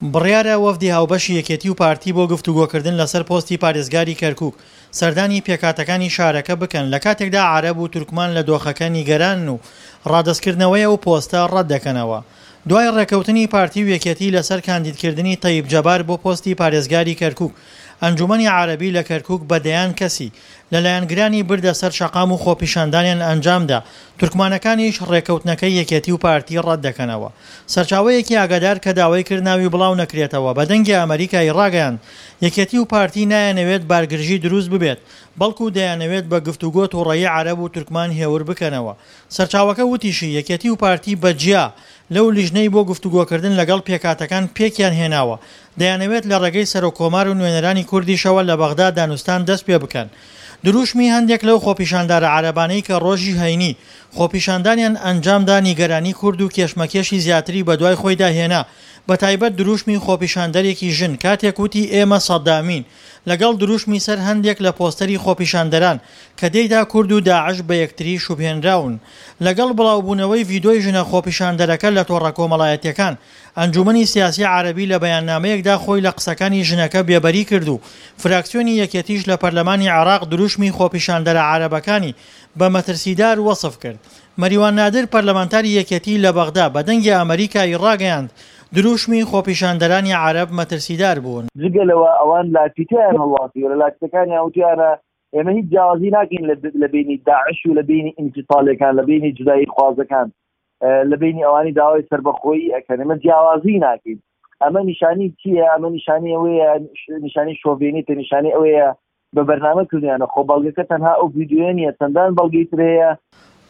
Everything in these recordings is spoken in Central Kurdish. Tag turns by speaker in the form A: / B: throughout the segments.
A: بڕیارە وەفدی هاوبەشی یەکێتی و پارتی بۆ گفتوگۆکردن لەسەر پۆستی پارێزگاری کەرکوک سەردانی پێکهاتەکانی شارەکە بکەن لەکاتێکدا عەرەب و تورکمان لە دۆخەکە نیگەرانن و ڕادەستکردنەوەی ئەو پۆستە ڕەتدەکەنەوە. دوای ڕێککەوتنی پارتی و یەکێتی لەسەر کاندیدکردنی تەیب جەبار بۆ پۆستی پارێزگاری کەرکوک، ئەنجومەنی عەرەبی لە کەرکوک بە دەیان کەسی لە لایەنگرانی بردە سەر شەقام و خۆپیشاندانیان ئەنجامدا، تورکمانەکانیش ڕێککەوتنەکەی یەکێتی و پارتی ڕەتدەکەنەوە. سەرچاوەیەکی ئاگادار کە داوای کرد ناوی بڵاو نەکرێتەوە بە دەنگی ئەمەریکای ڕاگەیاند، یەکێتی و پارتی نایانەوێت بارگرژی دروست ببێت، بەڵکو دەیانەوێت بە گفتوگۆ توڕەیی عەرەب و تورکمان هێور بکەنەوە. سەرچاوەکە وتیشی، یەکێتی و پارتی بە جیا لەو لیژنەی بۆ گفتوگۆکردن لەگەڵ پێکهاتەکان پێکیان هێناوە، دەیانەوێت لە ڕێگەی سەرۆککۆمار و نوێنەرانی کوردیشەوە لە بەغدا دانوستان دەست پێ بکەن. دروشمی هەندێک لەو خۆپیشاندارە عەرەبانەی کە ڕۆژی هەینی خۆپیشاندانیان ئەنجامدا نیگەرانی کورد و کێشمەکێشی زیاتری بەدوای خۆیدا هێنا، بەتایبەت دروشمی خۆپیشاندەرێکی ژن کاتێک وتی ئێمە سەدامین لەگەڵ دروشمی سەر هەندێک لە پۆستەری خۆپیشاندەران کە تێیدا کورد و داعش بە یەکتری شوبهێنراون. لەگەڵ بڵاوبوونەوەی ڤیدۆی ژنە خۆپیشاندەرەکە لە تۆڕە کۆمەڵایەتیەکان، ئەنجومەنی سیاسی عەرەبی لە بەیاننامەیەکدا خۆی لە قسەکانی ژنەکە بێبەری کرد و فراکسیۆنی یەکێتیش لە پەرلەمانی عێراق دروشمی خۆپیشاندەرە عەرەبەکانی بە مەترسیدار وەسف کرد. مەریوان نادر پەرلەمانتاری یەکێتی لە بەغدا بە دەنگی ئەمەریکا ی ڕاگەیاند، دروشمی خۆپیشاندەرانی عەرەب مەترسیدار بوون.
B: جگە لەوە ئەوان لافیتەیان هەڵواسیوە، لە لافیتەکانیان وتویانە ئێمە هیچ جیاوازی ناکەین لە بینی داعش و لە بینی ئینفیساڵیەکان، لە بینی جودایی خوازەکان، لە بینی ئەوانی داوای سەربەخۆیی ئەکەن، ئێمە جیاوازی ناکەین. ئەمە نیشانی چییە؟ ئەمە نیشانی ئەوەیە، نیشانی شۆڤێنیتە، نیشانی ئەوەیە بە بەرنامە کردویانە، خۆ بەڵگەکە تەنها ئەو ڤیدیۆیە نییە، چەندان بەڵگەی تر هەیە.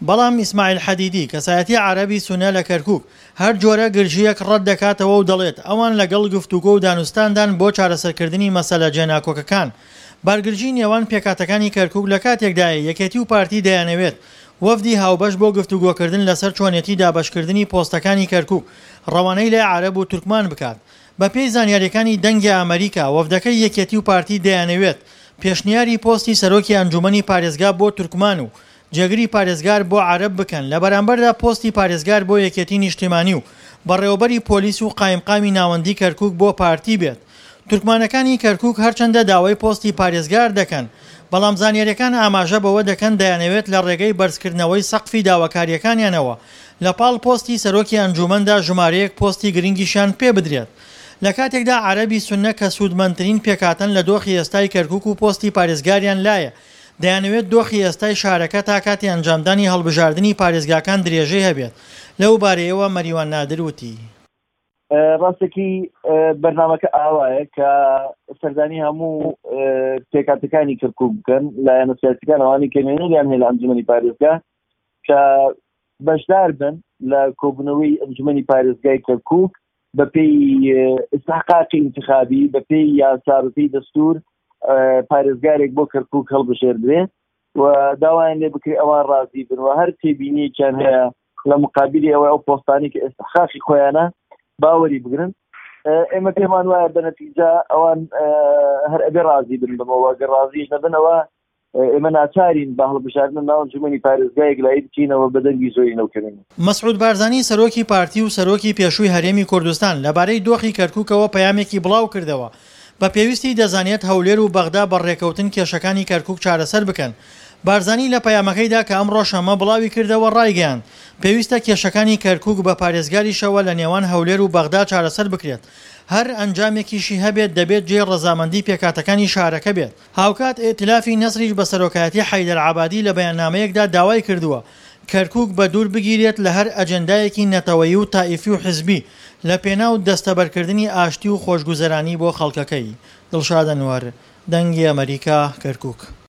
A: بەڵام ئیسماعیل حەدیدی، کەسایەتی عەرەبی سوننە لە کەرکوک، هەر جۆرە گرژییەک ڕەت دەکاتەوە و دەڵێت، ئەوان لەگەڵ گفتوگۆ و دانوستاندان بۆ چارەسەرکردنی مەسەلە جێناکۆکەکان. بارگرژی نێوان پێکهاتەکانی کەرکوک لە کاتێکدایە یەکێتی و پارتی دەیانەوێت وەفدی هاوبەش بۆ گفتوگۆکردن لەسەر چۆنێتی دابەشکردنی پۆستەکانی کەرکوک ڕەوانەی لای عەرەب و تورکمان بکات. بەپێی زانیارییەکانی دەنگی ئەمەریکا، وەفدەکەی یەکێتی و پارتی دەیانەوێت پێشنیاری پۆستی سەرۆکی ئەنجومەنی پارێزگا بۆ تورکمان و جێگری پارێزگار بۆ عەرەب بکەن، لە بەرامبەردا پۆستی پارێزگار بۆ یەکێتی نیشتیمانی و بەڕێوەبەری پۆلیس و قایمقامی ناوەندی کەرکوک بۆ پارتی بێت. تورکمانەکانی کەرکوک هەرچەندە داوای پۆستی پارێزگار دەکەن، بەڵام زانیارییەکان ئاماژە بەوە دەکەن دەیانەوێت لە ڕێگەی بەرزکردنەوەی سەقفی داواکارییەکانیانەوە لە پاڵ پۆستی سەرۆکی ئەنجوومەندا ژمارەیەک پۆستی گرنگیشیان پێ بدرێت لە کاتێکدا عەرەبی سوننە کە سوودمەندترین پێکهاتەن لە دۆخی ئێستای کەرکوک و پۆستی پارێزگاریان لایە دەیانەوێت دۆخی ئێستای شارەکە تا کاتی ئەنجامدانی هەڵبژاردنی پارێزگاکان درێژەی هەبێت لەو بارەیەوە مەریوان نادر وتی.
B: ڕاستەکی بەرنامەکە ئاوایە کە سەردانی هەموو پێکاتەکانی کەرکک بکەن لایەنە سیاسەکان ئەوانی کە نوێنەریان هەیە لە ئەنجومەنی پارێزگا کە بەشدار بن لە کۆبوونەوەی ئەنجومەنی پارێزگای کەرکک بە پێی ئیسحقاقی انتخابی بە پێی یاسا بە پێی دەستور پارێزگارێک بۆ کەرکک هەڵبژێردرێ و داوایان لێ بکرێ ئەوان ڕازی بن و هەر تێبینیەکیان هەیە لە مقابلی ئەوە ئەو پۆستانی کە ئێستحقاقی خۆیانە باوەری بگرن ئێمە پێمان وایە بە نەتیجە ئەوان هەر ئەبێ ڕازی بن بەمەوە گەر ڕازیش نەبنەوە ئێمە ناچارین بە هەڵبژاردن ناو ئەنجومەنی پارێزگایەک لایی بچینەوە بە دەنگی زۆری نەوکەرین.
A: مەسعود بارزانی سەرۆکی پارتی و سەرۆکی پێشووی هەرێمی کوردستان لەبارەی دۆخی کەرکوکەوە پەیامێکی بڵاوکردەوە، بە پێویستی دەزانێت هەولێر و بەغدا بە ڕێکەوتن کێشەکانی کەرکوک چارەسەر بکەن. بارزانی لە پەیامەکەیدا کە ئەمڕۆ شەممە بڵاویکردەوە ڕایگەیاند، پێویستە کێشەکانی کەرکوک بە پارێزگاریشەوە لە نێوان هەولێر و بەغدا چارەسەر بکرێت، هەر ئەنجامێکیشی هەبێت دەبێت جێی ڕەزامەندی پێکهاتەکانی شارەکە بێت. هاوکات ئیئتلافی نەسریش بە سەرۆکایەتی حەیدەر عەبادی لە بەیاننامەیەکدا داوای کردووە کەرکوک بە دوور بگیرێت لە هەر ئەجێندایەکی نەتەوەیی و تائیفی و حزبی لە پێناو دەستەبەرکردنی ئاشتی و خۆشگوزەرانی بۆ خەڵکەکەی. دڵشاد ئەنوەر، دەنگی ئەمەریکا، کەرکوک.